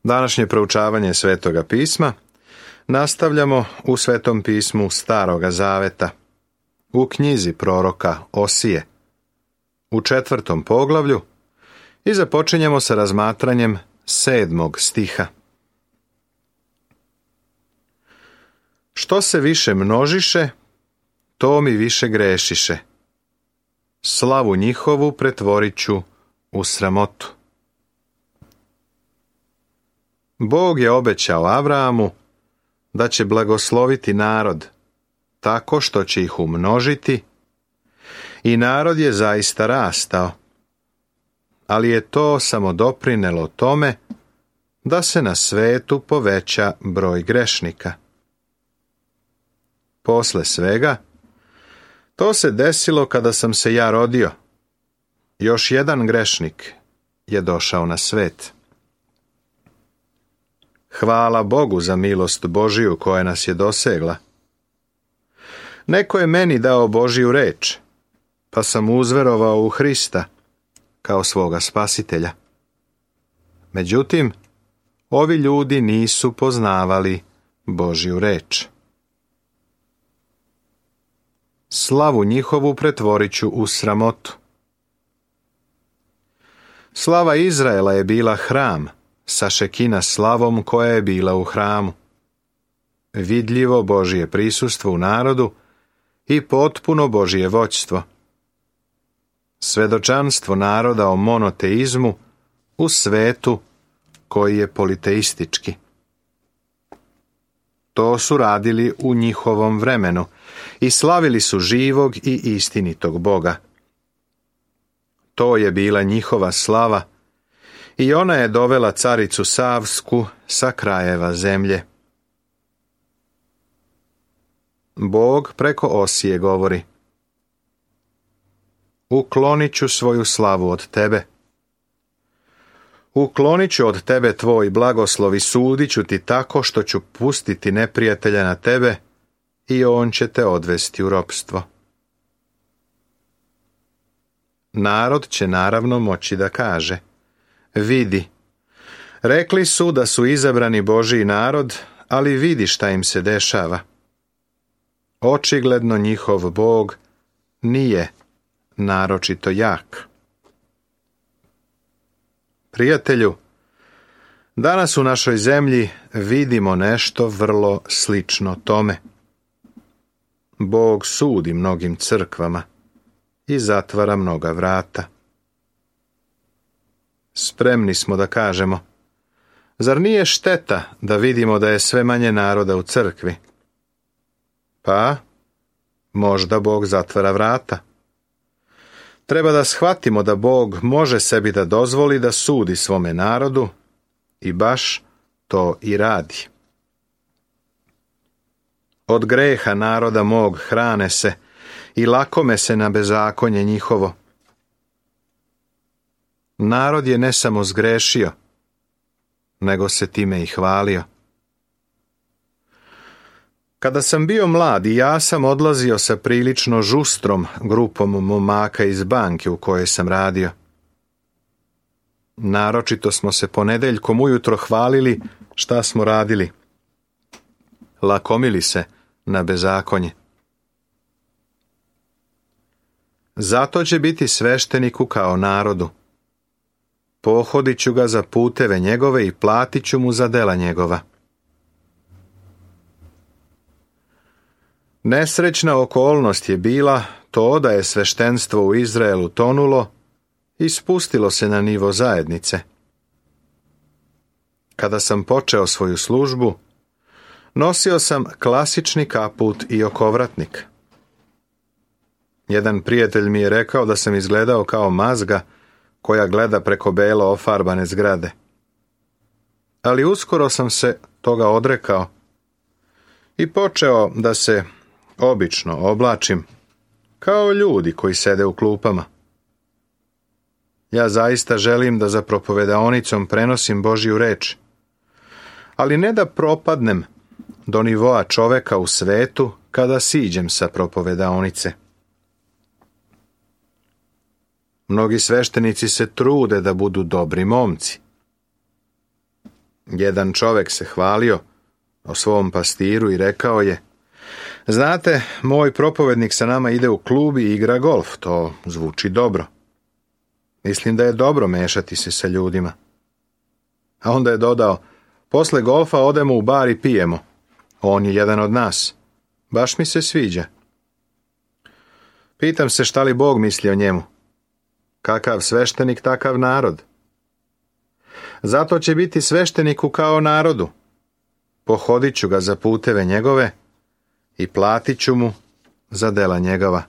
Današnje proučavanje Svetoga pisma nastavljamo u Svetom pismu Staroga Zaveta, u knjizi proroka Osije, u 4. poglavlju i započinjemo sa razmatranjem 7. stiha. Što se više množiše, to mi više grešiše. Slavu njihovu pretvorit ću u sramotu. Bog je obećao Abrahamu da će blagosloviti narod tako što će ih umnožiti i narod je zaista rastao, ali je to samo doprinelo tome da se na svetu poveća broj grešnika. Posle svega, to se desilo kada sam se ja rodio. Još jedan grešnik je došao na svet. Hvala Bogu za milost Božiju koja nas je dosegla. Neko je meni dao Božju reč, pa sam uzverovao u Hrista kao svoga spasitelja. Međutim, ovi ljudi nisu poznavali Božju reč. Slavu njihovu pretvorit ću u sramotu. Slava Izraela je bila hram, sa šekina slavom koja je bila u hramu. Vidljivo Božje prisustvo u narodu i potpuno Božje vođstvo. Svedočanstvo naroda o monoteizmu u svetu koji je politeistički. To su radili u njihovom vremenu i slavili su živog i istinitog Boga. To je bila njihova slava i ona je dovela caricu Savsku sa krajeva zemlje. Bog preko Osije govori: uklonit ću svoju slavu od tebe. Uklonit ću od tebe tvoj blagoslov i sudit ću ti tako što ću pustiti neprijatelja na tebe i on će te odvesti u ropstvo. Narod će naravno moći da kaže: vidi, rekli su da su izabrani Božji narod, ali vidi šta im se dešava. Očigledno njihov Bog nije naročito jak. Prijatelju, danas u našoj zemlji vidimo nešto vrlo slično tome. Bog sudi mnogim crkvama i zatvara mnoga vrata. Spremni smo da kažemo: zar nije šteta da vidimo da je sve manje naroda u crkvi? Pa, možda Bog zatvara vrata. Treba da shvatimo da Bog može sebi da dozvoli da sudi svome narodu i baš to i radi. Od greha naroda mog hrane se i lakome se na bezakonje njihovo. Narod je ne samo zgrešio, nego se time i hvalio. Kada sam bio mlad i ja sam odlazio sa prilično žustrom grupom momaka iz banke u kojoj sam radio. Naročito smo se ponedeljkom ujutro hvalili šta smo radili. Lakomili se na bezakonje. Zato će biti svešteniku kao narodu. Pohodit ću ga za puteve njegove i platit ću mu za dela njegova. Nesrećna okolnost je bila to da je sveštenstvo u Izraelu tonulo i spustilo se na nivo zajednice. Kada sam počeo svoju službu, nosio sam klasični kaput i okovratnik. Jedan prijatelj mi je rekao da sam izgledao kao mazga koja gleda preko belo ofarbane zgrade. Ali uskoro sam se toga odrekao i počeo da se obično oblačim kao ljudi koji sede u klupama. Ja zaista želim da za propovedaonicom prenosim Božju reč, ali ne da propadnem do nivoa čoveka u svetu kada siđem sa propovedaonice. Mnogi sveštenici se trude da budu dobri momci. Jedan čovjek se hvalio o svom pastiru i rekao je: znate, moj propovednik sa nama ide u klub i igra golf, to zvuči dobro. Mislim da je dobro mešati se sa ljudima. A onda je dodao: posle golfa odemo u bar i pijemo. On je jedan od nas. Baš mi se sviđa. Pitam se šta li Bog misli o njemu. Kakav sveštenik, takav narod. Zato će biti svešteniku kao narodu. Pohodit ću ga za puteve njegove i platit ću mu za dela njegova.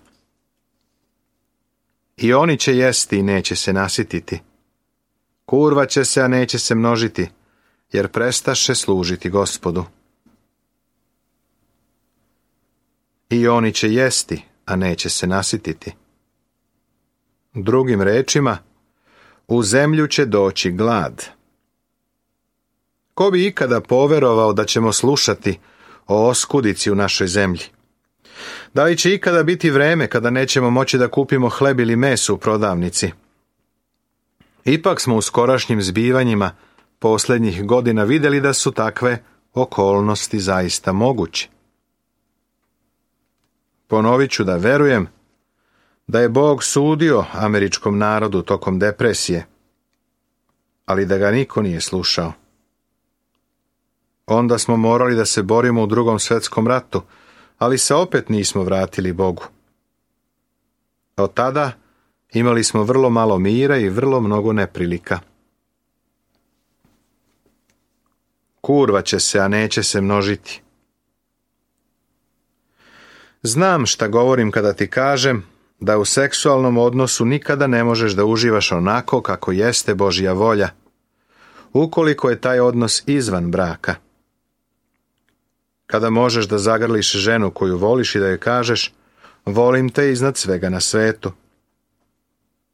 I oni će jesti i neće se nasititi. Kurva će se, a neće se množiti, jer prestaše služiti Gospodu. I oni će jesti, a neće se nasititi. Drugim rečima, u zemlju će doći glad. Ko bi ikada poverovao da ćemo slušati o oskudici u našoj zemlji? Da li će ikada biti vreme kada nećemo moći da kupimo hleb ili meso u prodavnici? Ipak smo u skorašnjim zbivanjima posljednjih godina vidjeli da su takve okolnosti zaista moguće. Ponovit ću da verujem da je Bog sudio američkom narodu tokom depresije, ali da ga niko nije slušao. Onda smo morali da se borimo u Drugom svjetskom ratu, ali se opet nismo vratili Bogu. Od tada imali smo vrlo malo mira i vrlo mnogo neprilika. Kurva će se, a neće se množiti. Znam šta govorim kada ti kažem da u seksualnom odnosu nikada ne možeš da uživaš onako kako jeste Božja volja, ukoliko je taj odnos izvan braka. Kada možeš da zagrliš ženu koju voliš i da joj kažeš: volim te iznad svega na svetu.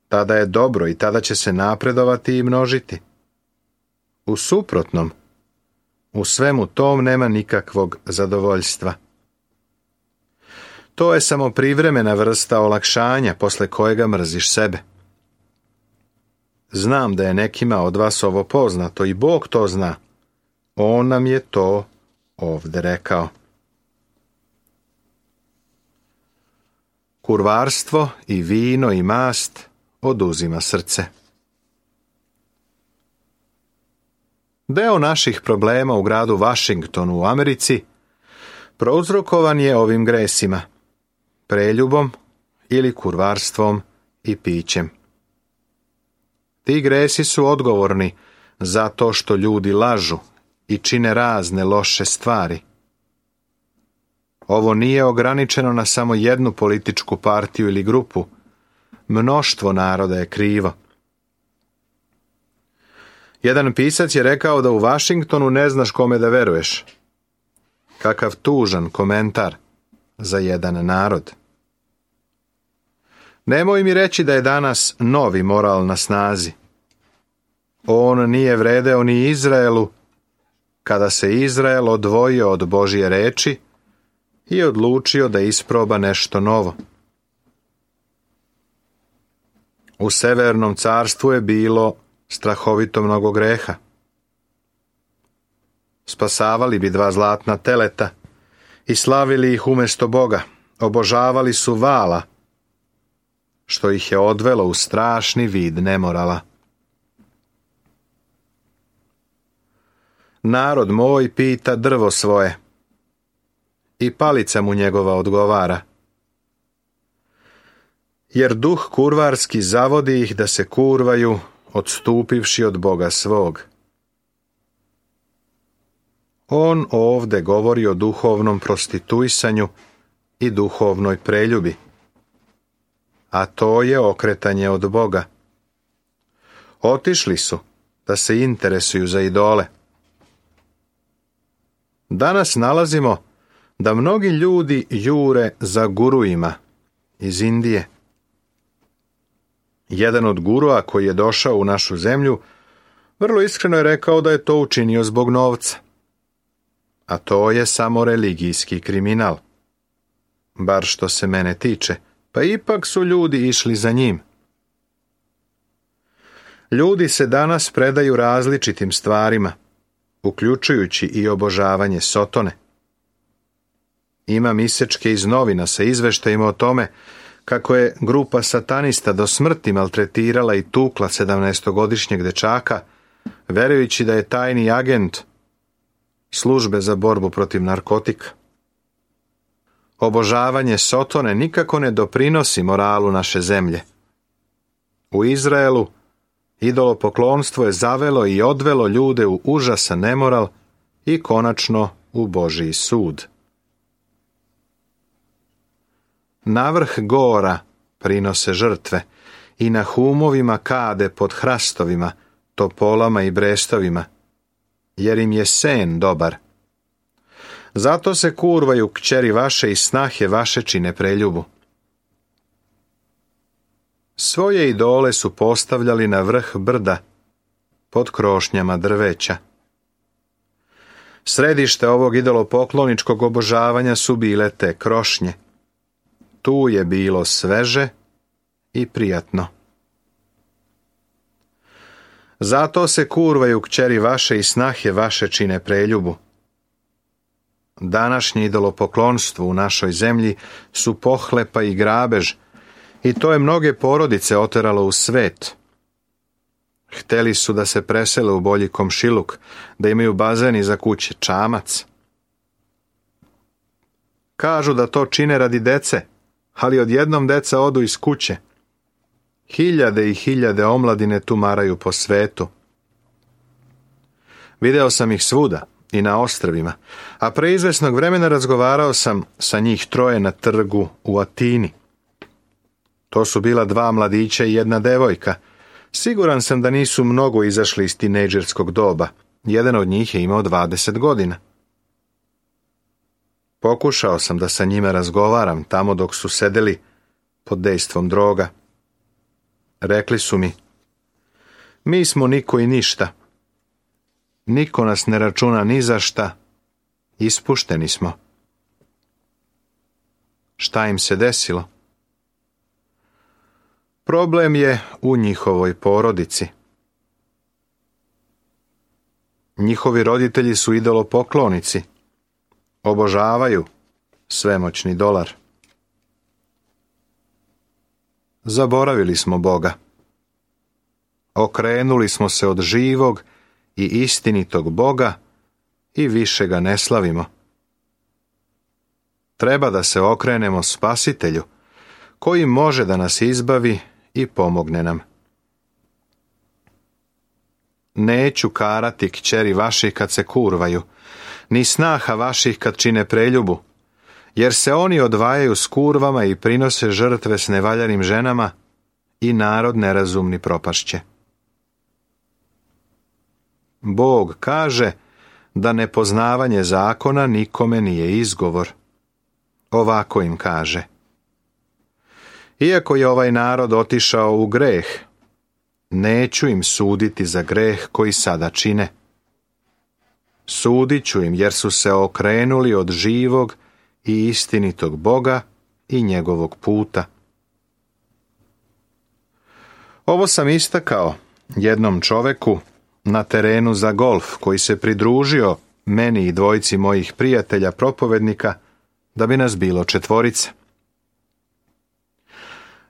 Tada je dobro i tada će se napredovati i množiti. U suprotnom, u svemu tom nema nikakvog zadovoljstva. To je samo privremena vrsta olakšanja posle kojega mrziš sebe. Znam da je nekima od vas ovo poznato i Bog to zna. On nam je to ovdje rekao. Kurvarstvo i vino i mast oduzima srce. Deo naših problema u gradu Washingtonu u Americi prouzrokovan je ovim gresima, preljubom ili kurvarstvom i pićem. Ti gresi su odgovorni za to što ljudi lažu i čine razne loše stvari. Ovo nije ograničeno na samo jednu političku partiju ili grupu. Mnoštvo naroda je krivo. Jedan pisac je rekao da u Washingtonu ne znaš kome da veruješ. Kakav tužan komentar za jedan narod. Nemoj mi reći da je danas novi moral na snazi. On nije vredeo ni Izraelu, kada se Izrael odvojio od Božje reči i odlučio da isproba nešto novo. U Severnom carstvu je bilo strahovito mnogo greha. Spasavali bi 2 zlatna teleta i slavili ih umjesto Boga. Obožavali su vala, što ih je odvelo u strašni vid nemorala. Narod moj pita drvo svoje i palica mu njegova odgovara. Jer duh kurvarski zavodi ih da se kurvaju, odstupivši od Boga svog. On ovde govori o duhovnom prostituisanju i duhovnoj preljubi, a to je okretanje od Boga. Otišli su da se interesuju za idole. Danas nalazimo da mnogi ljudi jure za guruima iz Indije. Jedan od gurua koji je došao u našu zemlju vrlo iskreno je rekao da je to učinio zbog novca. A to je samo religijski kriminal. Bar što se mene tiče, pa ipak su ljudi išli za njim. Ljudi se danas predaju različitim stvarima, uključujući i obožavanje Sotone. Imam isečke iz novina sa izveštajima o tome kako je grupa satanista do smrti maltretirala i tukla 17-godišnjeg dečaka, verujući da je tajni agent službe za borbu protiv narkotika. Obožavanje Sotone nikako ne doprinosi moralu naše zemlje. U Izraelu idolopoklonstvo je zavelo i odvelo ljude u užasan nemoral i konačno u Božji sud. Na vrh gora prinose žrtve i na humovima kade pod hrastovima, topolama i brestovima, jer im je sen dobar. Zato se kurvaju kćeri vaše i snahe vaše čine preljubu. Svoje idole su postavljali na vrh brda, pod krošnjama drveća. Središte ovog idolopokloničkog obožavanja su bile te krošnje. Tu je bilo sveže i prijatno. Zato se kurvaju kćeri vaše i snahe vaše čine preljubu. Današnje idolopoklonstvo u našoj zemlji su pohlepa i grabež, i to je mnoge porodice oteralo u svet. Hteli su da se presele u bolji komšiluk, da imaju bazen iza kuće, čamac. Kažu da to čine radi dece, ali odjednom deca odu iz kuće. Hiljade i hiljade omladine tumaraju po svetu. Video sam ih svuda i na ostrvima, a pre izvesnog vremena razgovarao sam sa njih troje na trgu u Atini. To su bila 2 mladića i 1 devojka. Siguran sam da nisu mnogo izašli iz tinejdžerskog doba. Jedan od njih je imao 20 godina. Pokušao sam da sa njima razgovaram tamo dok su sedeli pod dejstvom droga. Rekli su mi: mi smo niko i ništa. Niko nas ne računa ni za šta. Ispušteni smo. Šta im se desilo? Problem je u njihovoj porodici. Njihovi roditelji su idolopoklonici. Obožavaju svemoćni dolar. Zaboravili smo Boga. Okrenuli smo se od živog i istinitog Boga i više ga ne slavimo. Treba da se okrenemo Spasitelju, koji može da nas izbavi i pomogne nam. Neću karati kćeri vaših kad se kurvaju, ni snaha vaših kad čine preljubu, jer se oni odvajaju s kurvama i prinose žrtve s nevaljanim ženama i narod nerazumni propašće. Bog kaže da nepoznavanje zakona nikome nije izgovor. Ovako im kaže: iako je ovaj narod otišao u greh, neću im suditi za greh koji sada čine. Sudit ću im jer su se okrenuli od živog i istinitog Boga i njegovog puta. Ovo sam istakao jednom čoveku na terenu za golf koji se pridružio meni i 2 mojih prijatelja propovednika da bi nas bilo 4.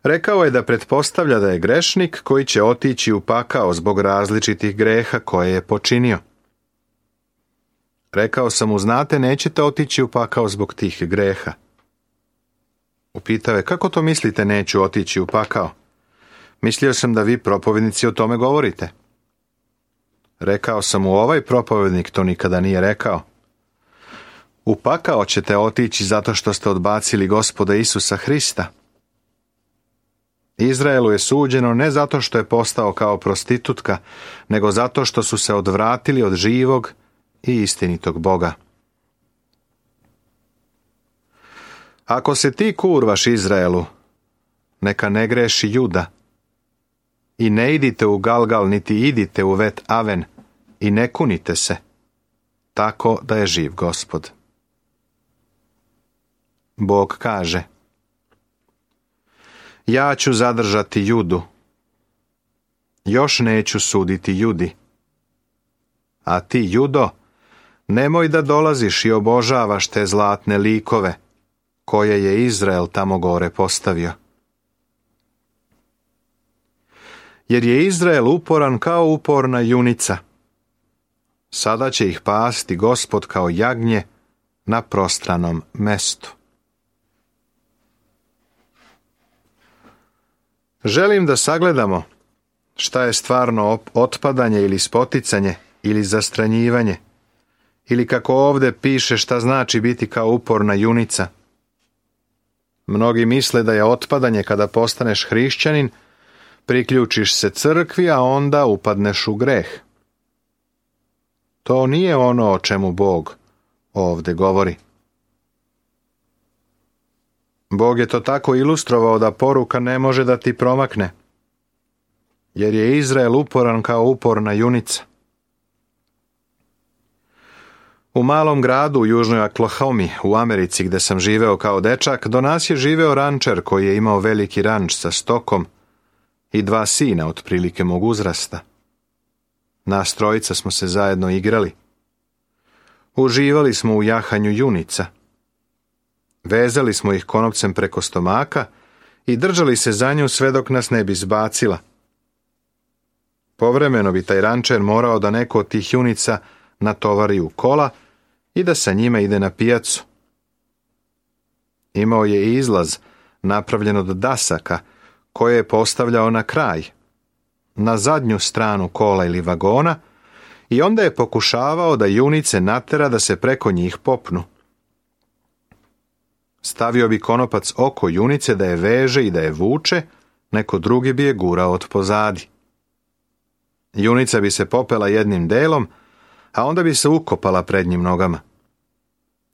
Rekao je da pretpostavlja da je grešnik koji će otići u pakao zbog različitih greha koje je počinio. Rekao sam mu: znate, nećete otići u pakao zbog tih greha. Upitao je: kako to mislite neću otići u pakao? Mislio sam da vi propovednici o tome govorite. Rekao sam mu: ovaj propovednik to nikada nije rekao. U pakao ćete otići zato što ste odbacili Gospoda Isusa Hrista. Izraelu je suđeno ne zato što je postao kao prostitutka, nego zato što su se odvratili od živog i istinitog Boga. Ako se ti kurvaš Izraelu, neka ne greši Juda. I ne idite u Galgal, niti idite u Bet Aven, i ne kunite se, tako da je živ Gospod. Bog kaže: ja ću zadržati Judu, još neću suditi Judi. A ti, Judo, nemoj da dolaziš i obožavaš te zlatne likove, koje je Izrael tamo gore postavio. Jer je Izrael uporan kao uporna junica. Sada će ih pasti Gospod kao jagnje na prostranom mestu. Želim da sagledamo šta je stvarno otpadanje ili spoticanje ili zastranjivanje, ili kako ovdje piše šta znači biti kao uporna junica. Mnogi misle da je otpadanje kada postaneš hrišćanin, priključiš se crkvi, a onda upadneš u greh. To nije ono o čemu Bog ovdje govori. Bog je to tako ilustrovao da poruka ne može da ti promakne, jer je Izrael uporan kao uporna junica. U malom gradu u južnoj Oklahomi u Americi, gde sam živeo kao dečak, do nas je živeo rančer koji je imao veliki ranč sa stokom i 2 sina otprilike mog uzrasta. Nas trojica smo se zajedno igrali. Uživali smo u jahanju junica. Vezali smo ih konopcem preko stomaka i držali se za nju sve dok nas ne bi zbacila. Povremeno bi taj rančer morao da neko od tih junica natovari u kola i da sa njima ide na pijacu. Imao je i izlaz napravljen od dasaka koje je postavljao na kraj, na zadnju stranu kola ili vagona, i onda je pokušavao da junice natera da se preko njih popnu. Stavio bi konopac oko junice da je veže i da je vuče, neko drugi bi je gurao od pozadi. Junica bi se popela jednim delom, a onda bi se ukopala prednjim nogama.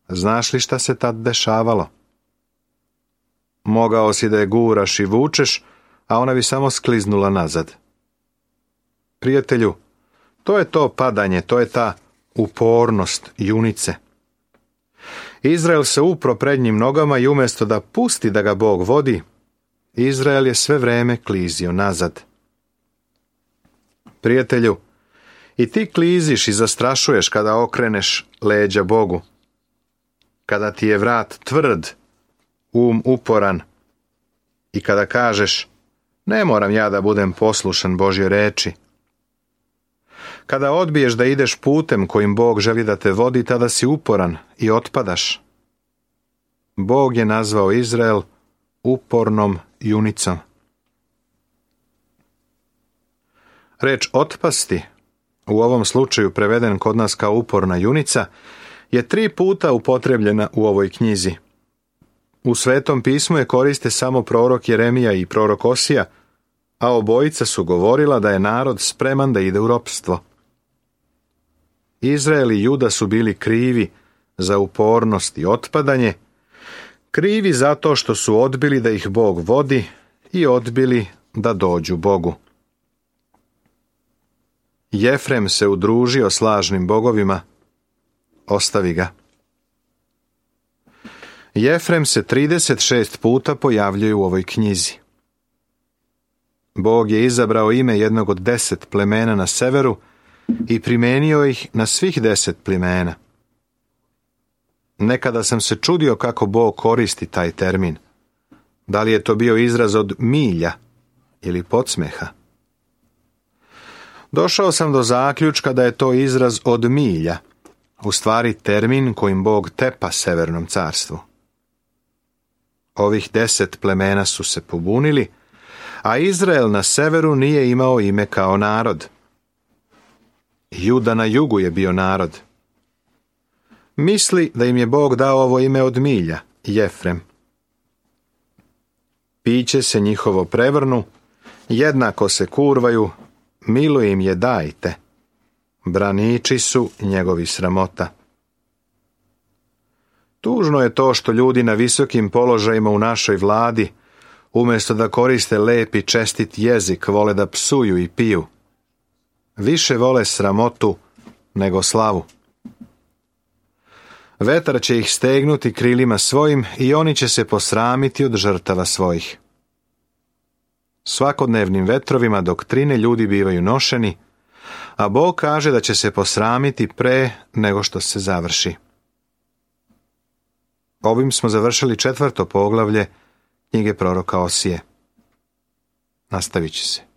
Znaš li šta se tad dešavalo? Mogao si da je guraš i vučeš, a ona bi samo skliznula nazad. Prijatelju, to je to padanje, to je ta upornost junice. Izrael se upro prednjim nogama i umjesto da pusti da ga Bog vodi, Izrael je sve vreme klizio nazad. Prijatelju, i ti kliziš i zastrašuješ kada okreneš leđa Bogu. Kada ti je vrat tvrd, uporan i kada kažeš, ne moram ja da budem poslušan Božje reči. Kada odbiješ da ideš putem kojim Bog želi da te vodi, tada si uporan i otpadaš. Bog je nazvao Izrael upornom junicom. Reč otpasti, u ovom slučaju preveden kod nas kao uporna junica, je 3 puta upotrebljena u ovoj knjizi. U Svetom pismu je koriste samo prorok Jeremija i prorok Osija, a obojica su govorila da je narod spreman da ide u ropstvo. Izrael i Juda su bili krivi za upornost i otpadanje, krivi zato što su odbili da ih Bog vodi i odbili da dođu Bogu. Jefrem se udružio s lažnim bogovima, ostavi ga. Jefrem se 36 puta pojavljuje u ovoj knjizi. Bog je izabrao ime jednog od 10 plemena na severu i primenio ih na svih 10 plemena. Nekada sam se čudio kako Bog koristi taj termin. Da li je to bio izraz od milja ili podsmeha? Došao sam do zaključka da je to izraz od milja, u stvari termin kojim Bog tepa severnom carstvu. Ovih 10 plemena su se pobunili, a Izrael na severu nije imao ime kao narod. Juda na jugu je bio narod. Misli da im je Bog dao ovo ime od milja, Jefrem. Piće se njihovo prevrnu, jednako se kurvaju, milo im je dajte. Braniči su njegovi sramota. Tužno je to što ljudi na visokim položajima u našoj vladi, umjesto da koriste lep i čestit jezik, vole da psuju i piju. Više vole sramotu nego slavu. Vetar će ih stegnuti krilima svojim i oni će se posramiti od žrtava svojih. Svakodnevnim vetrovima doktrine ljudi bivaju nošeni, a Bog kaže da će se posramiti pre nego što se završi. Ovim smo završili 4. poglavlje knjige proroka Osije. Nastavit će se.